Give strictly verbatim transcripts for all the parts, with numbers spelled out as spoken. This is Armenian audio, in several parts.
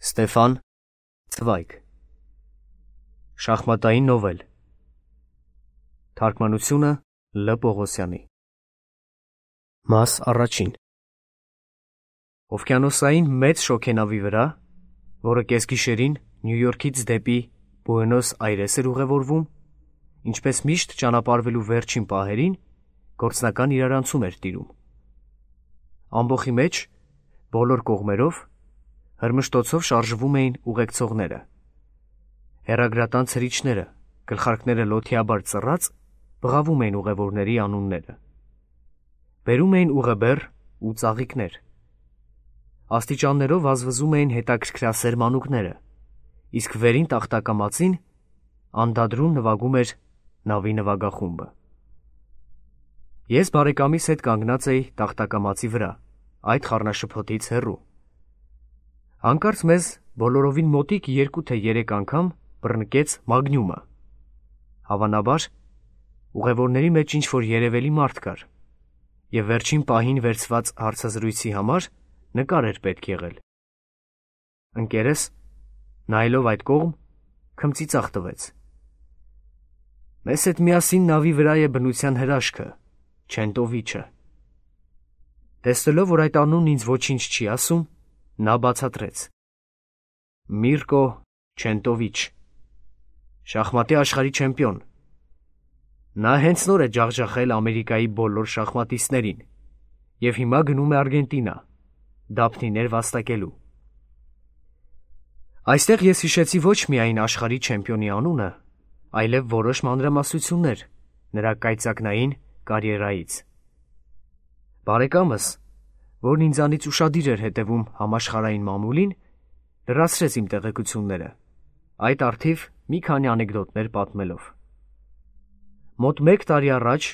Ստեփան Ցվայգ Շախմատային նովել Թարգմանությունը Լ. Պողոսյանի Մաս առաջին Օվկիանոսային մեծ շոգենավի վրա, որը կեսգիշերին Նյու Յորքից դեպի Բուենոս Այրես էր ուղևորվում, ինչպես միշտ ճանապարհվելու վերջին պահերին, գործնական իրարանցում էր տիրում։ Ամբոխի մեջ, բոլոր կողմերով, հրմշտոցով շարժվում էին ուղեկցողները։ Հեռագրատան ցրիչները, գլխարկները լոթիաբար ծռած, բղավում էին ուղևորների անունները։ Բերում էին ուղեբեռ ու ծաղիկներ։ Աստիճաններով վազվզում էին հետաքրքրասեր մանուկները, իսկ վերին տախտակամածին անդադրում նվագում էր նավի նվագախումբը։ Ես բարեկամիս հետ կանգնած էի տախտակամածի վրա, այդ խառնաշփոթից հեռու։ Հանկարծ մեզ բոլորովին մոտիկ երկու թե երեք անգամ բռնկեց մագնյումը։ Հավանաբար, ուղևորների մեջ ինչ-որ երևելի մարդ կար, և վերջին պահին վերցված հարցազրույցի համար նկար էր պետք եղել։ Ընկերս, նայելով այդ կողմ, քմծիծաղ տվեց։ Մեզ հետ միասին նավի վրա է բնության հրաշքը, Չենտովիչը։ Տեսնելով, որ այդ անունն ինձ ոչինչ չի ասում, նա բացատրեց. Միրկո Չենտովիչ, շախմատի աշխարհի չեմպիոն։ Նա հենց նոր է ջախջախել Ամերիկայի բոլոր շախմատիստներին և հիմա գնում է Արգենտինա, դափնիներ վաստակելու։ Այստեղ ես հիշեցի ոչ միայն աշխարհի չեմպիոնի անունը, այլև որոշ մանրամասնություններ նրա կայծակնային կարիերայից։ Բարեկամս, որն ինձանից ուշադիր էր հետևում համաշխարհային մամուլին, լրացրեց իմ տեղեկությունները, այդ առթիվ մի քանի անեկդոտներ պատմելով։ Մոտ մեկ տարի առաջ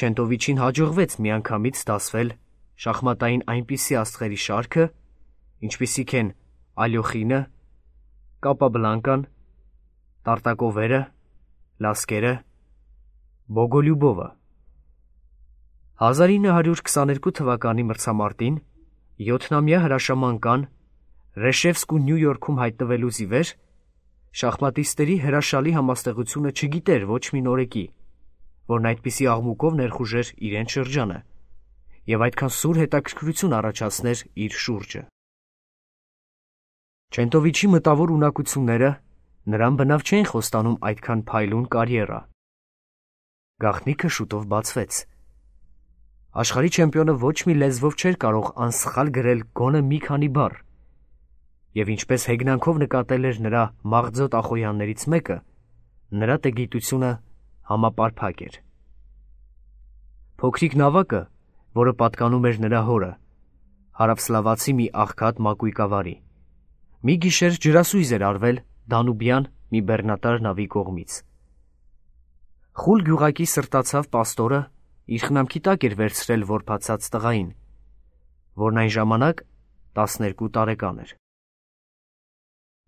Չենտովիչին հաջողվեց միանգամից դասվել շախմատային այնպիսի աստղերի շարքը, ինչպիսիք են Ալյոխինը, Կապաբլանկան, Տարտակովերը, Լասկերը, Բոգոլյուբովը։ հազար ինը հարյուր քսաներկու թվականի մրցամարտին յոթնամյա հրաշաման կան Ռեշևսկու Նյու Յորքում հայտնվելուց ի վեր շախմատիստերի հրաշալի համաստեղությունը չգիտեր ոչ մի նորեկի, որն այդպիսի աղմուկով ներխուժեր իրենց շրջանը և այդքան սուր հետաքրքրություն առաջացներ իր շուրջը։ Չենտովիչի մտավոր ունակությունները նրան բնավ չէին խոստանում այդքան փայլուն կարիերա։ Գաղտնիքը շուտով բացվեց։ Աշխարհի չեմպիոնը ոչ մի լեզվով չէր կարող անսխալ գրել գոնե մի քանի բառ, և ինչպես հեգնանքով նկատել էր նրա մաղձոտ ախոյաններից մեկը, նրա տգիտությունը համապարփակ էր։ Փոքրիկ նավակը, որը պատկանում էր նրա հորը, հարավսլավացի մի աղքատ մակույկավարի, մի գիշեր ջրասույզ էր արվել Դանուբյան մի բեռնատար նավի կողմից։ Խուլ գյուղակի սրտացավ պաստորը իր խնամքի տակ էր վերցրել որբացած տղային, որն այն ժամանակ տասներկու տարեկան էր։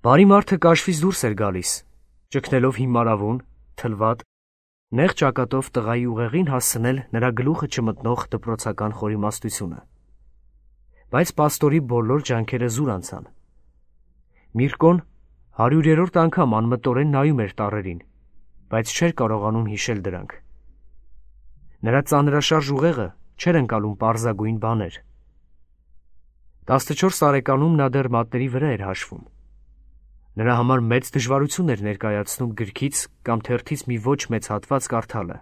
Բարի մարդը կաշվից դուրս էր գալիս, ճգնելով հիմարավուն, թլվատ, նեղ ճակատով տղայի ուղեղին հասցնել նրա գլուխը չմտնող դպրոցական խորիմաստությունը։ Բայց պաստորի բոլոր ջանքերը զուր անցան։ Միրկոն հարյուրերորդ անգամ անմտորեն նայում էր տառերին, բայց չէր կարողանում հիշել դրանք։ Նրա ծանրաշարժ ուղեղը չէր ընկալում պարզագույն բաներ։ Տասնչորս տարեկանում նա դեռ մատների վրա էր հաշվում։ Նրա համար մեծ դժվարություն էր ներկայացնում գրքից կամ թերթից մի ոչ մեծ հատված կարդալը։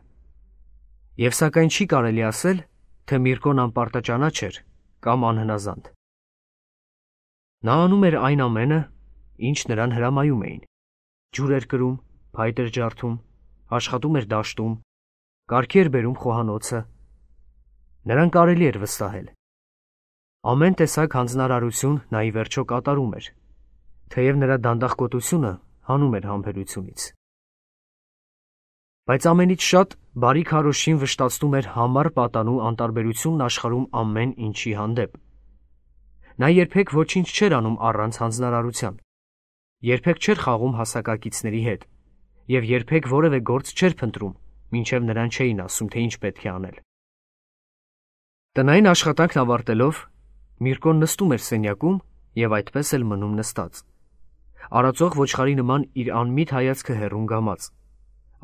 Եվ սակայն չի կարելի ասել, թե Միրկոն անպարտաճանաչ էր կամ անհնազանդ։ Նա անում էր այն ամենը, ինչ նրան հրամայում էին։ Ջուր էր կրում, փայտ էր ջարդում, աշխատում էր դաշտում, կարգի էր բերում խոհանոցը։ Նրան կարելի էր վստահել։ Ամեն տեսակ հանձնարարություն նա ի վերջո կատարում էր, թեև նրա դանդաղկոտությունը հանում էր համբերությունից։ Բայց ամենից շատ բարի քարոզչին վշտացնում էր համառ պատանու անտարբերությունն աշխարհում ամեն ինչի հանդեպ։ Նա երբեք ոչինչ չէր անում առանց հանձնարարության, երբեք չէր խաղում հասակակիցների հետ և երբեք որևէ գործ չէր փնտրում, մինչև նրան չէին ասում, թե ինչ պետք է անել։ Տնային աշխատանքն ավարտելով, Միրկոն նստում էր սենյակում և այդպես էլ մնում նստած, արածող ոչխարի նման իր անմիտ հայացքը հեռուն գամած,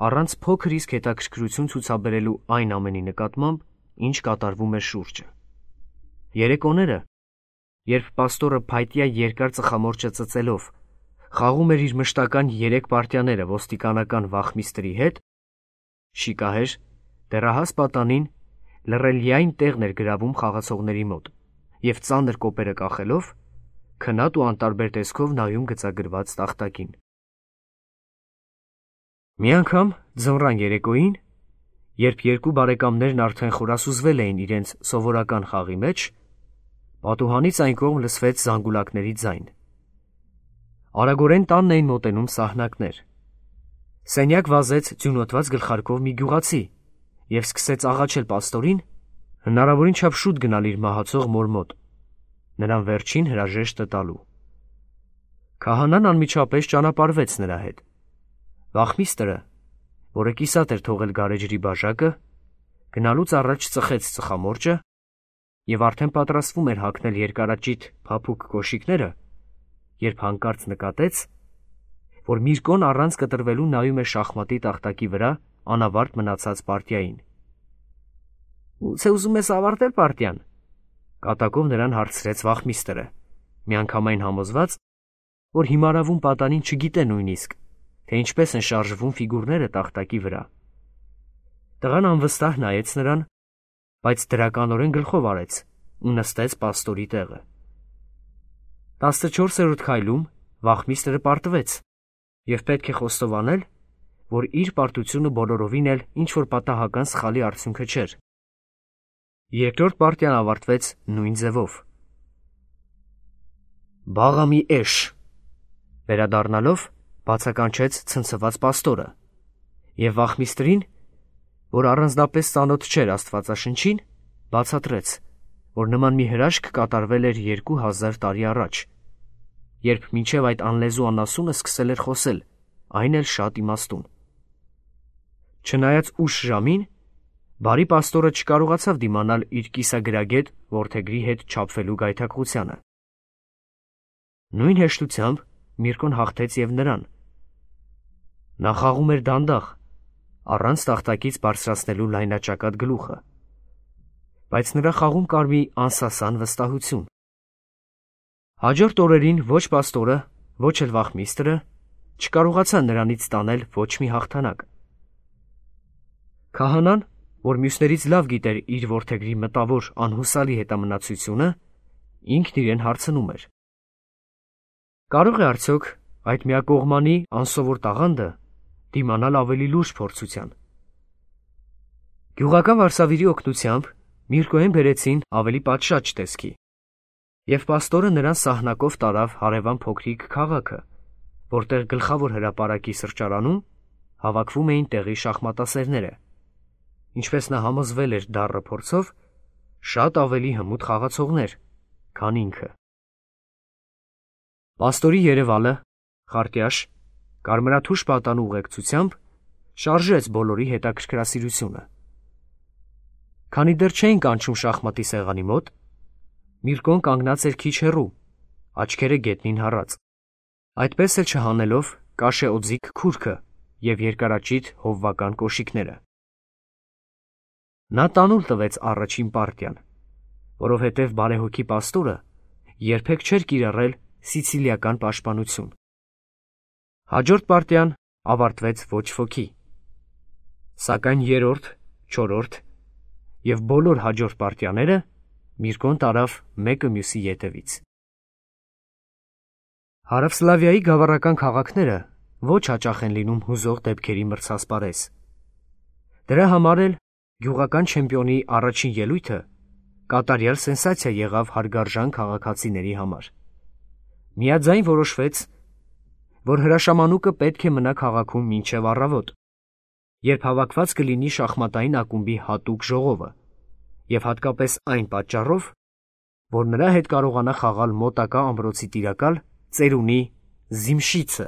առանց փոքր իսկ հետաքրքրություն ցուցաբերելու այն ամենի նկատմամբ, ինչ կատարվում էր շուրջը։ Երեկոները, երբ պաստորը փայտյա երկար ծխամորճը ծծելով խաղում էր իր մշտական երեք պարտիաները ոստիկանական վախմիստրի հետ, շիկահեր, դեռահաս պատանին լռելիային տեղն էր գրավում խաղացողների մոտ և ծանր կոպերը կախելով, քնած ու անտարբեր տեսքով նայում գծագրված տախտակին։ Մի անգամ ձմռան երեկոյին, երբ երկու բարեկամներն արդեն խորասուզվել էին իրենց սովորական խաղի մեջ, պատուհանից այն կողմ լսվեց զանգուլակների ձայն։ Արագորեն տանն էին մոտենում սահնակներ։ Սենյակ վազեց ձյունոտված գլխարկով մի գյուղացի և սկսեց աղաչել պաստորին հնարավորին չափ շուտ գնալ իր մահացող մոր մոտ, նրան վերջին հրաժեշտը տալու։ Քահանան անմիջապես ճանապարհվեց նրա հետ։ Վախմիստրը, որը կիսատ էր թողել գարեջրի բաժակը, գնալուց առաջ ծխեց ծխամորճը և արդեն պատրաստվում էր հագնել երկարաճիտ փափուկ կոշիկները, երբ հանկարծ նկատեց, որ Միրկոն առանց կտրվելու նայում է շախմատի տախտակի վրա անավարտ մնացած պարտիային։ «Գուցե ուզում ես ավարտել պարտիան», կատակով նրան հարցրեց վախմիստրը, միանգամայն համոզված, որ հիմարավում պատանին չգիտե նույնիսկ, թե ինչպես են շարժվում ֆիգուրները տախտակի վրա։ Տղան անվստահ նայեց նրան, բայց դրականորեն գլխով արեց ու նստեց պաստորի տեղը։ Տասնչորսերորդ քայլում վախմիստրը պարտվեց և պետք է խոստովանել, որ իր պարտությունը բոլորովին էլ ինչ-որ պատահական սխալի արդյունքը չէր։ Երկրորդ պարտիան ավարտվեց նույն ձևով։ «Բաղամի էշ», վերադառնալով բացականչեց ցնցված պաստորը, և վախմիստրին, որ առանձնապես ծանոթ չէր Աստվածաշնչին, բացատրեց, որ նման մի հրաշք կատարվել էր երկու հազար տարի առաջ, երբ մինչև այդ անլեզու անասունը սկսել էր խոսել, այն էլ շատ իմաստուն։ Չնայած ուշ ժամին, բարի պաստորը չկարողացավ դիմանալ իր կիսագրագետ որդեգրի հետ չափվելու գայթակղությանը։ Նույն հեշտությամբ Միրկոն հաղթեց և նրան։ Նա խաղում էր դանդաղ, առանց տախտակից բարձրացնելու լայնաճակատ գլուխը, բայց նրա խաղում կար մի անսասան վստահություն։ Հաջորդ օրերին ոչ պաստորը, ոչ էլ վախմիստրը չկարողացան նրանից ստանել ոչ մի հաղթանակ։ Քահանան, որ մյուսներից լավ գիտեր իր որդեգրի մտավոր անհուսալի հետամնացությունը, ինքն իրեն հարցնում էր. կարող է արդյոք այդ միակողմանի անսովոր տաղանդը դիմանալ ավելի լուրջ փորձության։ Գյուղական վարսավիրի օգնությամբ Միրկոյեն բերեցին ավելի պատշաճ տեսքի, և պաստորը նրան սահնակով տարավ հարևան փոքրիկ քաղաքը, որտեղ գլխավոր հրապարակի սրճարանում հավաքվում էին տեղի շախմատասերները, ինչպես նա համոզվել էր դառը փորձով, շատ ավելի հմուտ խաղացողներ, քան ինքը։ Պաստորի երևալը, խարտյաշ, կարմրաթուշ պատանու ուղեկցությամբ շարժեց բոլորի հետաքրքրասիրությունը։ Քանի դեռ չէին կանչում շախմատի սեղանի մոտ, Միրկոն կանգնած էր քիչ հեռու, աչքերը գետնին հառած, այդպես էլ չհանելով կաշե օձիք քուրքը և երկարաճիտ հովվական կոշիկները։ Նա տանուլ տվեց առաջին պարտիան, որովհետև բարեհոգի պաստորը երբեք չէր կիրառել սիցիլիական պաշտպանություն։ Հաջորդ պարտիան ավարտվեց ոչ ոքի, սակայն երրորդ, չորրորդ և բոլոր հաջորդ պարտիաները Միրկոն տարավ մեկը մյուսի ետևից։ Հարավսլավիայի գավառական քաղաքները ոչ հաճախ են լինում հուզող դեպքերի մրցասպարեզ։ Դրա համար էլ գյուղական չեմպիոնի առաջին ելույթը կատարյալ սենսացիա եղավ հարգարժան քաղաքացիների համար։ Միաձայն որոշվեց, որ հրաշամանուկը պետք է մնա քաղաքում մինչև առավոտ, երբ հավաքված կլինի շախմատային ակումբի հատուկ ժողովը, և հատկապես այն պատճառով, որ նրա հետ կարողանա խաղալ մոտակա ամրոցի տիրակալ ծերունի Զիմշիցը,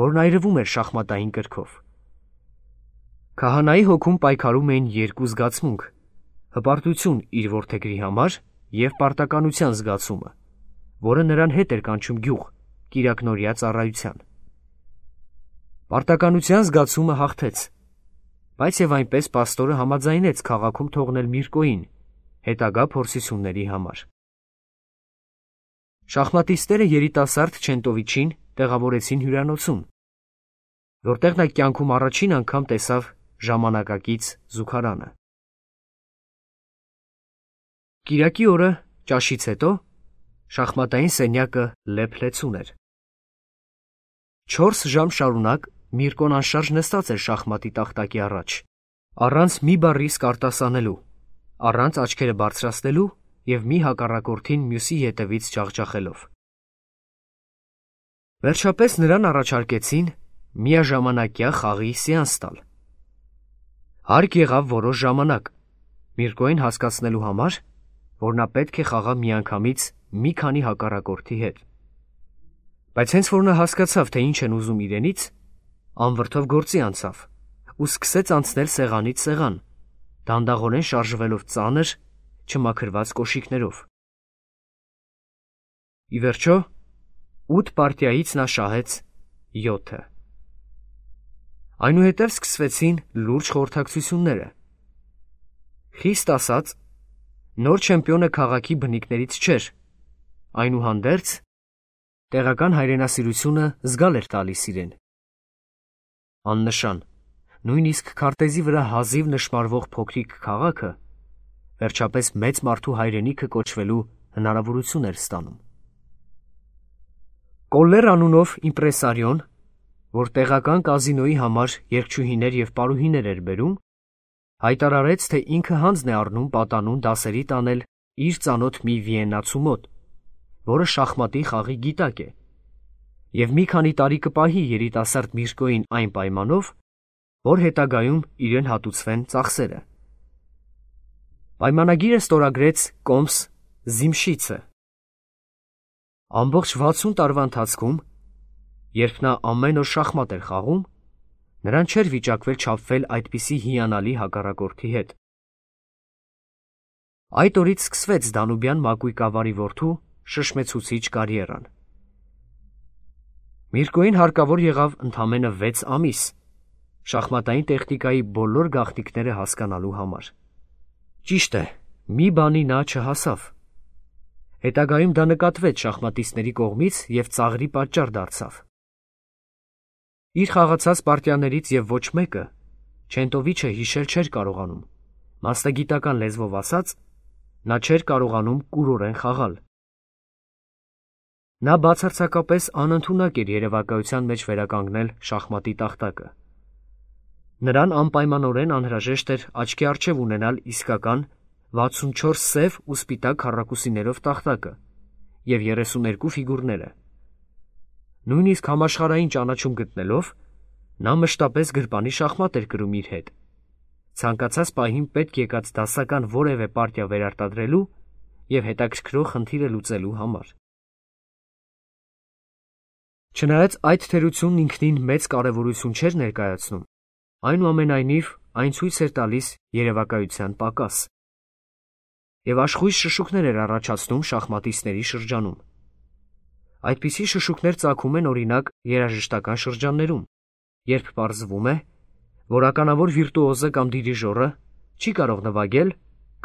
որն այրվում էր շախմատային կրքով։ Քահանայի հոգում պայքարում էին երկու զգացմունք՝ հպարտություն իր որդեգրի համար և պարտականության զգացումը, որը նրան հետ էր կանչում գյուղ, կիրակնօրյա ծառայության։ Պարտականության զգացումը հաղթեց, բայց եւ այնպես պաստորը համաձայնեց քաղաքում թողնել Միրկոյին հետագա փորձությունների համար։ Շախմատիստները երիտասարդ Չենտովիչին տեղավորեցին հյուրանոցում, որտեղ նա կյանքում առաջին անգամ տեսավ ժամանակակից զուգարանը։ Կիրակի օրը ճաշից հետո շախմատային սենյակը լեփ-լեցուն էր։ Չորս ժամ շարունակ Միրկոն անշարժ նստած էր շախմատի տախտակի առաջ, առանց մի բառի արտասանելու, առանց աչքերը բարձրացնելու եւ մի հակառակորդին մյուսի ետևից ջախջախելով։ Վերջապես նրան առաջարկեցին միաժամանակյա խաղի սեանս տալ։ Հարկ եղավ որոշ ժամանակ Միրկոյին հասկացնելու համար, որ նա պետք է խաղա միանգամից մի քանի հակառակորդի հետ։ Բայց հենց որ նա հասկացավ, թե ինչ են ուզում իրենից, անվրդով գործի անցավ ու սկսեց անցնել սեղանից սեղան, դանդաղորեն շարժվելով ծանր, չմաքրված կոշիկներով։ Ի վերջո, ութ պարտիայից նա շահեց յոթը։ Այնուհետև սկսվեցին լուրջ խորհրդակցությունները։ Խիստ ասած, նոր չեմպիոնը քաղաքի բնիկներից չէր, այնուհանդերձ տեղական հայրենասիրությունը զգալ էր տալիս իրեն։ Աննշան, նույնիսկ քարտեզի վրա հազիվ նշմարվող փոքրիկ քաղաքը վերջապես մեծ մարդու հայրենիքը կոչվելու հնարավորություն էր ստանում։ Կոլլեր անունով իմպրեսարիոն, որ տեղական կազինոյի համար երգչուհիներ եւ պարուհիներ էր բերում, հայտարարեց, թե ինքը հանձն է առնում պատանուն դասերի տանել իր ծանոթ մի վիեննացու մոտ, որը շախմատի խաղի գիտակ է, եւ մի քանի տարի կպահի երիտասարդ Միրկոյին այն պայմանով, որ հետագայում իրեն հատուցվեն ծախսերը։ Պայմանագիրը ստորագրեց Կոմս Զիմշիցը։ Ամբողջ վաթսուն տարվա ընթացքում, երբ նա ամեն օր շախմատ էր խաղում, նրան չէր վիճակվել չափվել այդպիսի հիանալի հակառակորդի հետ։ Այդ օրից սկսվեց Դանուբյան մակույկավարի որդու շշմեցուցիչ կարիերան։ Միրկոյին հարկավոր եղավ ընդամենը վեց ամիս շախմատային տեխնիկայի բոլոր գաղտնիքները հասկանալու համար։ Ճիշտ է, մի բանի նա չհասավ։ Հետագայում դա նկատվեց շախմատիստների կողմից եւ ծաղրի պատճառ դարձավ։ Իր խաղացած պարտիաներից եւ ոչ մեկը Չենտովիչը հիշել չէր կարողանում, մասնագիտական լեզվով ասած, նա չէր կարողանում կուրորեն խաղալ։ Նա բացարձակապես անընդունակ էր երևակայության մեջ վերականգնել շախմատի տախտակը։ Նրան անպայմանորեն անհրաժեշտ էր աչքի առջև ունենալ իսկական վաթսունչորս սև ու սպիտակ քառակուսիներով տախտակը եւ երեսուներկու ֆիգուրները։ Նույնիսկ համաշխարհային ճանաչում գտնելով, նա մշտապես գրպանի շախմատ էր կրում իր հետ, ցանկացած պահին պետք եկած դասական որևէ պարտիա վերարտադրելու եւ հետաքրքրող խնդիրը լուծելու համար։ Չնայած այդ թերությունն ինքնին մեծ կարևորություն չէր ներկայացնում, այնուամենայնիվ այն ցույց էր տալիս երևակայության պակաս եւ աշխույժ շշուկներ էր առաջացնում շախմատիստների շրջանում։ Այդպիսի շշուկներ ծագում են օրինակ երաժշտական շրջաններում, երբ պարզվում է, որ ականավոր վիրտուոզը կամ դիրիժորը չի կարող նվագել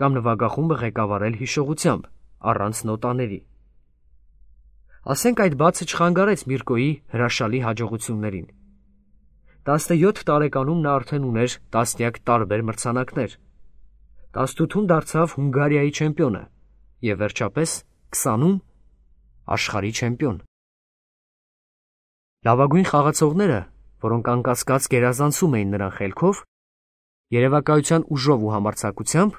կամ նվագախումբը ղեկավարել հիշողությամբ, առանց նոտաների։ Ասենք այդ բացը չխանգարեց Միրկոյի հրաշալի հաջողություններին։ տասնյոթ տարեկանում նա արդեն ուներ տասնյակ տարբեր մրցանակներ։ տասնութում դարձավ Հունգարիայի չեմպիոնը եւ վերջապես քսանում աշխարհի չեմպիոն։ Լավագույն խաղացողները, որոնք անկասկած գերազանցում էին նրան խելքով, երևակայության ուժով ու համարձակությամբ,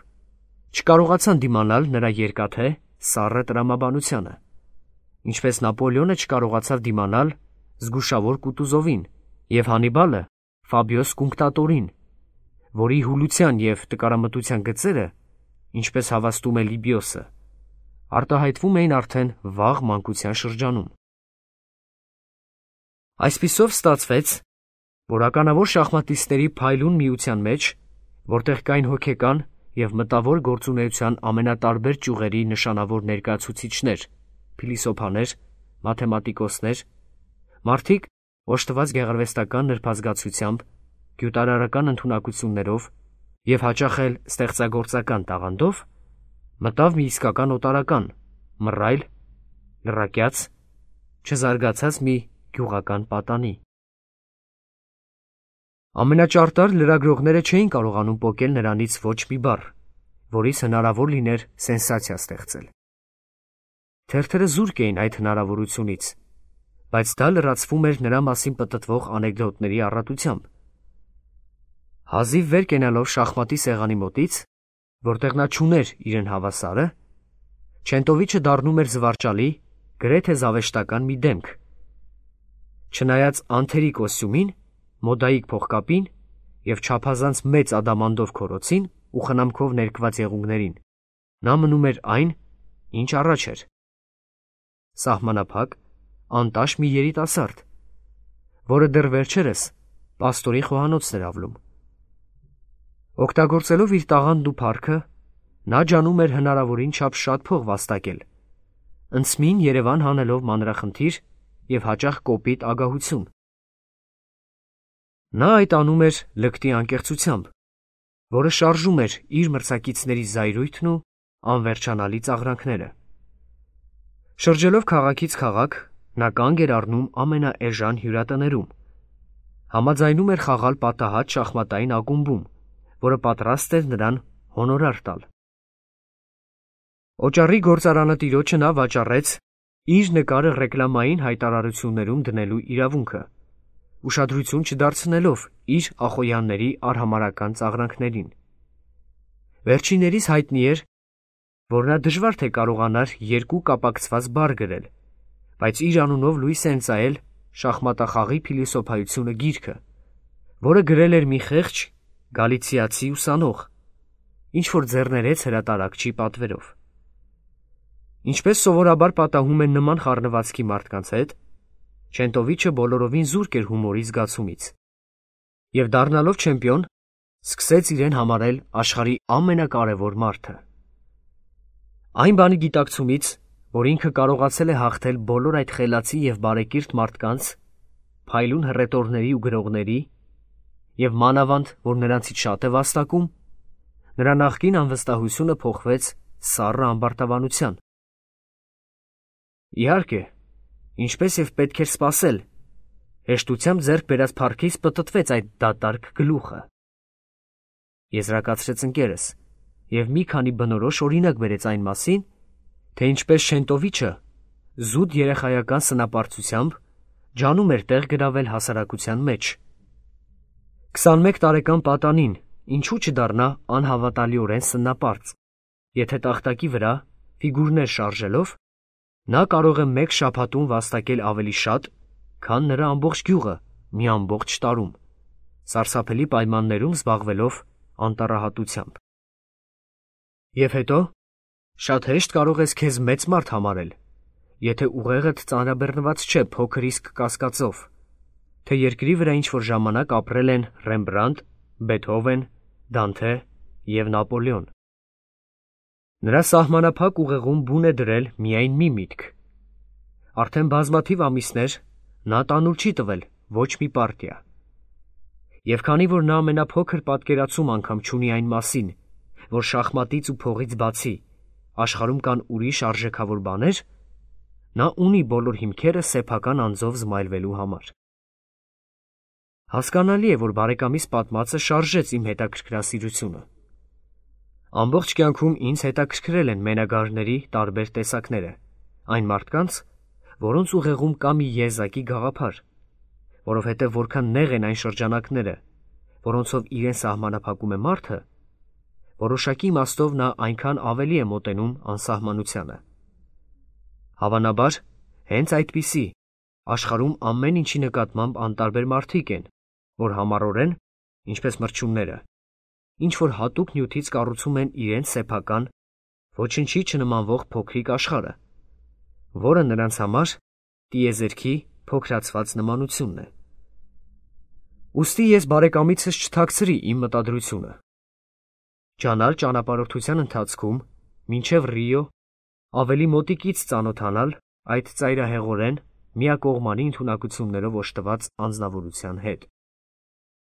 չկարողացան դիմանալ նրա երկաթե սառը տրամաբանությանը, ինչպես Նապոլեոնը չկարողացավ դիմանալ զգուշավոր Կուտուզովին եւ Հանիբալը Ֆաբիոս Կունկտատորին, որի հուլության եւ տկարամտության գծերը, ինչպես հավաստում է Լիբիոսը, արտահայտվում էին արդեն վաղ մանկության շրջանում։ Այսպիսով ստացվեց, որ ականավոր շախմատիստների փայլուն միության մեջ, որտեղ կային հոգեկան եւ մտավոր գործունեության ամենատարբեր ճյուղերի նշանավոր ներկայացուցիչներ, փիլիսոփաներ, մաթեմատիկոսներ, մարդիկ օժտված գեղարվեստական նրբազգացությամբ, գյուտարարական ընդունակություններով և հաճախ էլ ստեղծագործական տաղանդով, մտավ մի իսկական օտարական, մռայլ, լռակյաց, չզարգացած մի գյուղական պատանի։ Ամենաճարտար լրագրողները չէին կարողանում պոկել նրանից ոչ մի բառ, որից հնարավոր լիներ սենսացիա ստեղծել։ Թերթերը զուրկ էին այդ հնարավորությունից, բայց դա լրացվում էր նրա մասին պտտվող անեկդոտների առատությամբ։ Հազիվ վեր կենալով շախմատի սեղանի մոտից, որտեղ նա չուներ իրեն հավասարը, Չենտովիչը դառնում էր զվարճալի, գրեթե զավեշտական մի դեմք։ Չնայած անթերի կոստյումին, մոդայիկ փողկապին և չափազանց մեծ ադամանդով քորոցին ու խնամքով ներկված եղունգներին, նա մնում էր այն, ինչ առաջ էր։ Սահմանափակ, անտաշ մի երիտասարդ, որը դեռ վերջերս պաստորի խոհանոցն էր ավլում։ Օգտագործելով իր տաղանդն ու փառքը, նա ջանում էր հնարավորին չափ շատ փող վաստակել, ընծմին Երևան հանելով մանրախնդիր և հաճախ կոպիտ ագահություն։ Նա այդ անում էր լկտի անկեղծությամբ, որը շարժում էր իր մրցակիցների զայրույթն ու անվերջանալի ծաղրանքները։ Շրջելով քաղաքից քաղաք, նա կանգ էր առնում ամենաէժան հյուրատներում, համաձայնում էր խաղալ պատահած շախմատային ակումբում, որը պատրաստ էր նրան հոնորար տալ։ Օճառի գործարանը տիրոջը նա վաճառեց իր նկարը ռեկլամային հայտարարություններում դնելու իրավունքը, ուշադրություն չդարձնելով իր ախոյանների արհամարհական ծաղրանքներին։ Վերջիններիս հայտնի էր, որ նա դժվար թե կարողանար երկու կապակցված բառ գրել, բայց իր անունով լույս է ընծայել շախմատախաղի փիլիսոփայությունը գիրքը, որը գրել էր մի խեղճ գալիցիացի ուսանող, ինչ-որ ձեռներեց հրատարակչի պատվերով։ Ինչպես սովորաբար պատահում է նման խառնվածքի մարդկանց հետ, Չենտովիչը բոլորովին զուրկ էր հումորի զգացումից և դառնալով չեմպիոն, սկսեց իրեն համարել աշխարհի ամենակարևոր մարդը։ Այն բանի գիտակցումից, որ ինքը կարողացել է հաղթել բոլոր այդ խելացի և բարեկիրթ մարդկանց, փայլուն հռետորների ու գրողների և մանավանդ, որ նրանցից շատ է վաստակում, նրա նախկին անվստահությունը փոխվեց սառը ամբարտավանության։ Իհարկե, ինչպես և պետք էր սպասել, հեշտությամբ ձեռք բերած փառքից պտտվեց այդ դատարկ գլուխը, եզրակացրեց ընկերս և մի քանի բնորոշ օրինակ բերեց այն մասին, թե ինչպես Չենտովիչը զուտ երեխայական սնապարծությամբ ջանում էր տեղ գրավել հասարակության մեջ։ Քսանմեկ տարեկան պատանին ինչու չդառնա անհավատալիորեն սնապարծ, եթե տախտակի վրա ֆիգուրներ շարժելով նա կարող է մեկ շաբաթում վաստակել ավելի շատ, քան նրա ամբողջ գյուղը մի ամբողջ տարում, սարսափելի պայմաններում զբաղվելով անտառահատությամբ։ Եվ հետո շատ հեշտ կարող ես քեզ մեծ մարդ համարել, եթե ուղեղդ ծանրաբեռնված չէ փոքր իսկ կասկածով, թե երկրի վրա ինչ-որ ժամանակ ապրել են Ռեմբրանտ, Բեթհովեն, Դանթե և Նապոլեոն։ Նրա սահմանափակ ուղեղում բուն է դրել միայն մի միտք. արդեն բազմաթիվ ամիսներ նա տանուլ չի տվել ոչ մի պարտիա։ Եվ քանի որ նա ամենափոքր պատկերացում անգամ չունի այն մասին, որ շախմատից ու փողից բացի աշխարհում կան ուրիշ արժեքավոր բաներ, նա ունի բոլոր հիմքերը սեփական անձով զմայլվելու համար։ Հասկանալի է, որ բարեկամիս պատմածը շարժեց իմ հետաքրքրասիրությունը։ Ամբողջ կյանքում ինձ հետաքրքրել են մենագարների տարբեր տեսակները, այն մարդկանց, որոնց ուղեղում կա մի եզակի գաղափար, որովհետև որքան նեղ են այն շրջանակները, որոնցով իրեն սահմանափակում է մարդը, որոշակի իմաստով նա այնքան ավելի է մոտենում անսահմանությանը։ Հավանաբար, հենց այդպիսի աշխարհում ամեն ինչի նկատմամբ անտարբեր մարդիկ են, որ համառորեն, ինչպես մրջյունները, ինչ-որ հատուկ նյութից կառուցում են իրենց սեփական, ոչնչի չնմանվող փոքրիկ աշխարհը, որը նրանց համար տիեզերքի փոքրացված նմանությունն է։ Ուստի ես բարեկամիցս չթաքցրի իմ մտադրությունը։ Ջանալ ճանապարհորդության ընթացքում, մինչև Ռիո, ավելի մոտիկից ծանոթանալ այդ ծայրահեղորեն, միակողմանի ընդունակություններով օժտված անձնավորության հետ։